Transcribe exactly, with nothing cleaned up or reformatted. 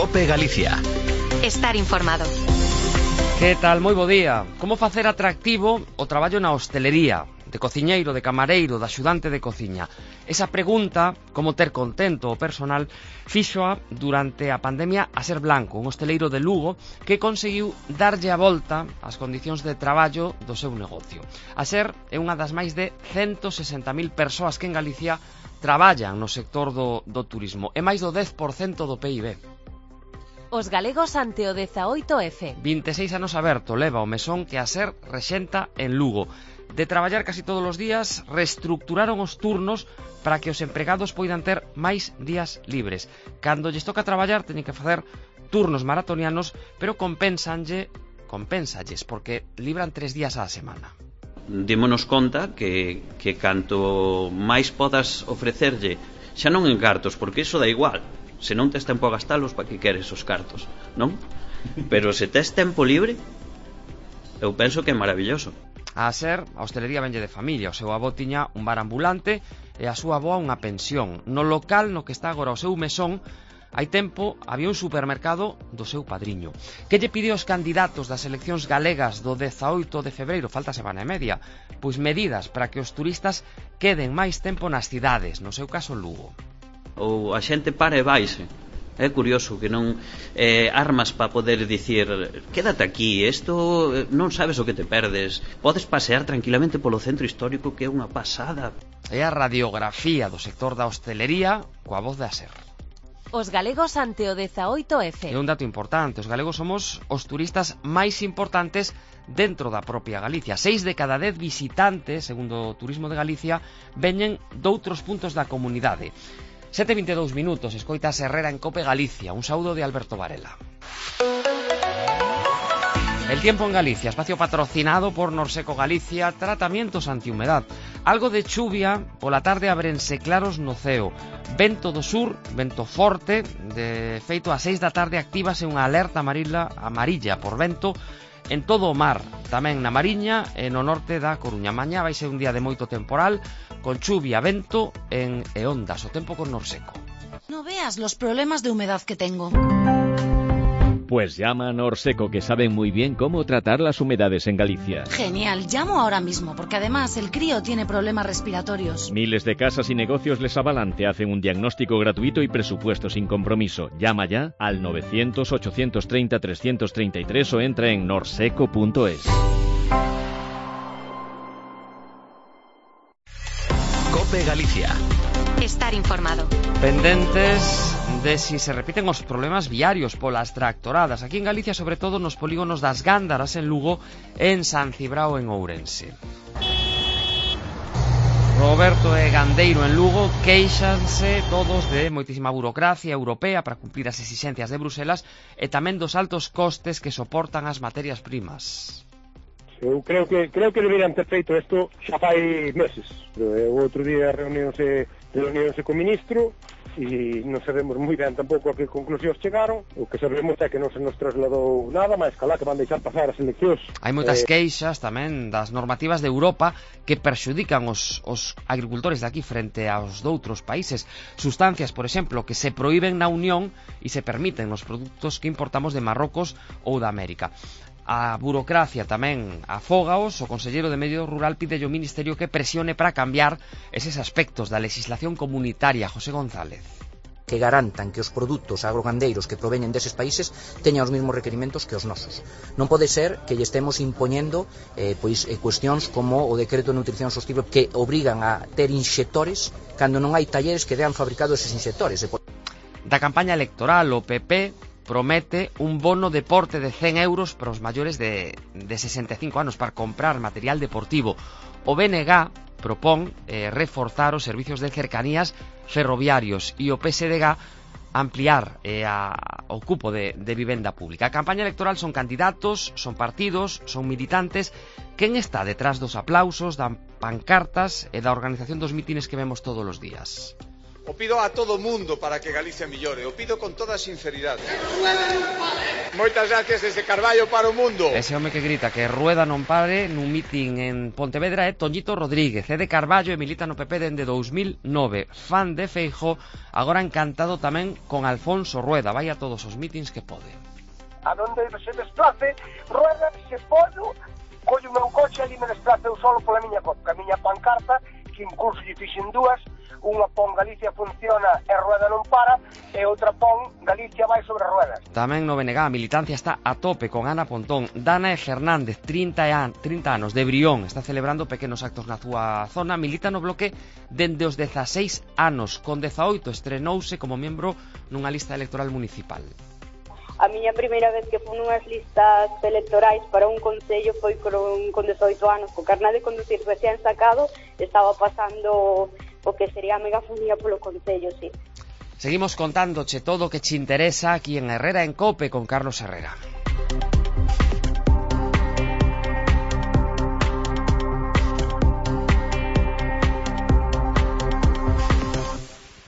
COPE Galicia. Estar informado. Que tal? Moi bo día. Como facer atractivo o traballo na hostelería? De cociñeiro, de camareiro, de axudante de cociña. Esa pregunta, como ter contento o personal, fíxoa durante a pandemia a Ser Blanco, un hosteleiro de Lugo que conseguiu darlle a volta ás condicións de traballo do seu negocio. A Ser é unha das máis de ciento sesenta mil persoas que en Galicia traballan no sector do, do turismo. É máis do dez por cento do P I B. Os galegos ante o dezaoito F. vinte e seis anos aberto leva o mesón que a Ser rexenta en Lugo. De traballar casi todos os días, reestructuraron os turnos para que os empregados poidan ter máis días libres. Cando lles toca traballar, teñen que facer turnos maratonianos, pero compensanlle, compensalles, porque libran tres días á semana. Démonos conta que, que canto máis podas ofrecerlle, xa non en cartos, porque iso dá igual. Se non tes tempo a gastalos, para que queres os cartos, non? Pero se tes tempo libre, eu penso que é maravilloso. A Ser, a hostelería venlle de familia. O seu avó tiña un bar ambulante e a súa avoa unha pensión. No local no que está agora o seu mesón, hai tempo había un supermercado do seu padriño. Que lle pide aos candidatos das eleccións galegas do dezaoito de febreiro, falta semana e media? Pois medidas para que os turistas queden máis tempo nas cidades, no seu caso Lugo. Ou a xente para e vaise. É curioso que non eh, armas para poder dicir quédate aquí, isto non sabes o que te perdes. Podes pasear tranquilamente polo centro histórico, que é unha pasada. É a radiografía do sector da hostelería coa voz da Ser. Os galegos ante o dezaoito F. É un dato importante, os galegos somos os turistas máis importantes dentro da propia Galicia. Seis de cada dez visitantes, segundo o Turismo de Galicia, veñen doutros puntos da comunidade. sete e vinte e dous minutos, escoitas Herrera en Cope Galicia. Un saúdo de Alberto Varela. El tiempo en Galicia, espacio patrocinado por Norseco Galicia, tratamientos antihumedad. Algo de chuvia, pola tarde abrense claros no ceo. Vento do sur, vento forte, de feito a seis da tarde actívase unha alerta amarilla, amarilla por vento en todo o mar, tamén na Mariña e no norte da Coruña. Mañá vai ser un día de moito temporal, con chuvia, vento en e ondas, o tempo con Norseco. No veas los problemas de humedad que tengo. Pues llama a Norseco, que saben muy bien cómo tratar las humedades en Galicia. Genial, llamo ahora mismo, porque además el crío tiene problemas respiratorios. Miles de casas y negocios les avalan, te hacen un diagnóstico gratuito y presupuesto sin compromiso. Llama ya al novecientos, ochocientos treinta, trescientos treinta y tres o entra en norseco punto es. COPE Galicia. Estar informado. Pendentes de si se repiten os problemas viarios polas tractoradas. Aquí en Galicia, sobre todo nos polígonos das Gándaras en Lugo e en San Cibrao en Ourense. Roberto e Gandeiro en Lugo queixanse todos de moitísima burocracia europea para cumplir as exixencias de Bruselas e tamén dos altos costes que soportan as materias primas. Eu creo que creo que deberían ter feito isto xa fai meses. O outro día reuniónse reuniónse co ministro e non sabemos moi ben tampouco a que conclusións chegaron. O que sabemos é que non se nos trasladou nada, máis calá que van deixar pasar as eleccións. Hai moitas eh... queixas tamén das normativas de Europa que perxudican os, os agricultores de aquí frente aos doutros países. Sustancias, por exemplo, que se proíben na Unión e se permiten nos produtos que importamos de Marrocos ou da América. A burocracia tamén afógaos. O conselleiro de Medio Rural pide ao Ministerio que presione para cambiar eses aspectos da legislación comunitaria. José González. Que garantan que os produtos agrogandeiros que proveñen deses países teñan os mesmos requerimentos que os nosos. Non pode ser que lle estemos impoñendo eh, pois, eh, cuestións como o decreto de nutrición sostible que obrigan a ter inxectores cando non hai talleres que dean fabricado eses inxectores. Da campaña electoral, o P P promete un bono deporte de cen euros para os maiores de, de sesenta e cinco anos para comprar material deportivo. O B N G propón eh, reforzar os servicios de cercanías ferroviarios e o P S D G ampliar eh, a, o cupo de, de vivenda pública. A campaña electoral son candidatos, son partidos, son militantes. Quen está detrás dos aplausos, das pancartas e da organización dos mítines que vemos todos os días? O pido a todo o mundo para que Galicia millore, o pido con toda sinceridade. Moitas gracias desde Carballo para o mundo. Ese home que grita que rueda non pare nun mitin en Pontevedra é Toñito Rodríguez, é de Carballo e milita no P P dende dous mil nove. Fan de Feijóo, agora encantado tamén con Alfonso Rueda. Vai a todos os mítins que pode. A donde se desplace, Rueda, se podo, collo o meu coche ali me desplace eu solo pola miña copa, a miña pancarta, que incluso lle fixen dúas, unha pon Galicia funciona e Rueda non para, e outra pon Galicia vai sobre ruedas. Tamén no B N G a militancia está a tope con Ana Pontón. Dana Fernández, trinta anos, de Brión, está celebrando pequenos actos na súa zona, milita no bloque dende os dezaseis anos, con dezaoito estrenouse como membro nunha lista electoral municipal. A miña primeira vez que fui nunhas listas electorais para un concello foi con, con dezaoito anos, co carné de conducir recién sacado, estaba pasando o que sería a megafonía polo concello, sí. Seguimos contándoche todo o que che interesa aquí en Herrera en Cope con Carlos Herrera.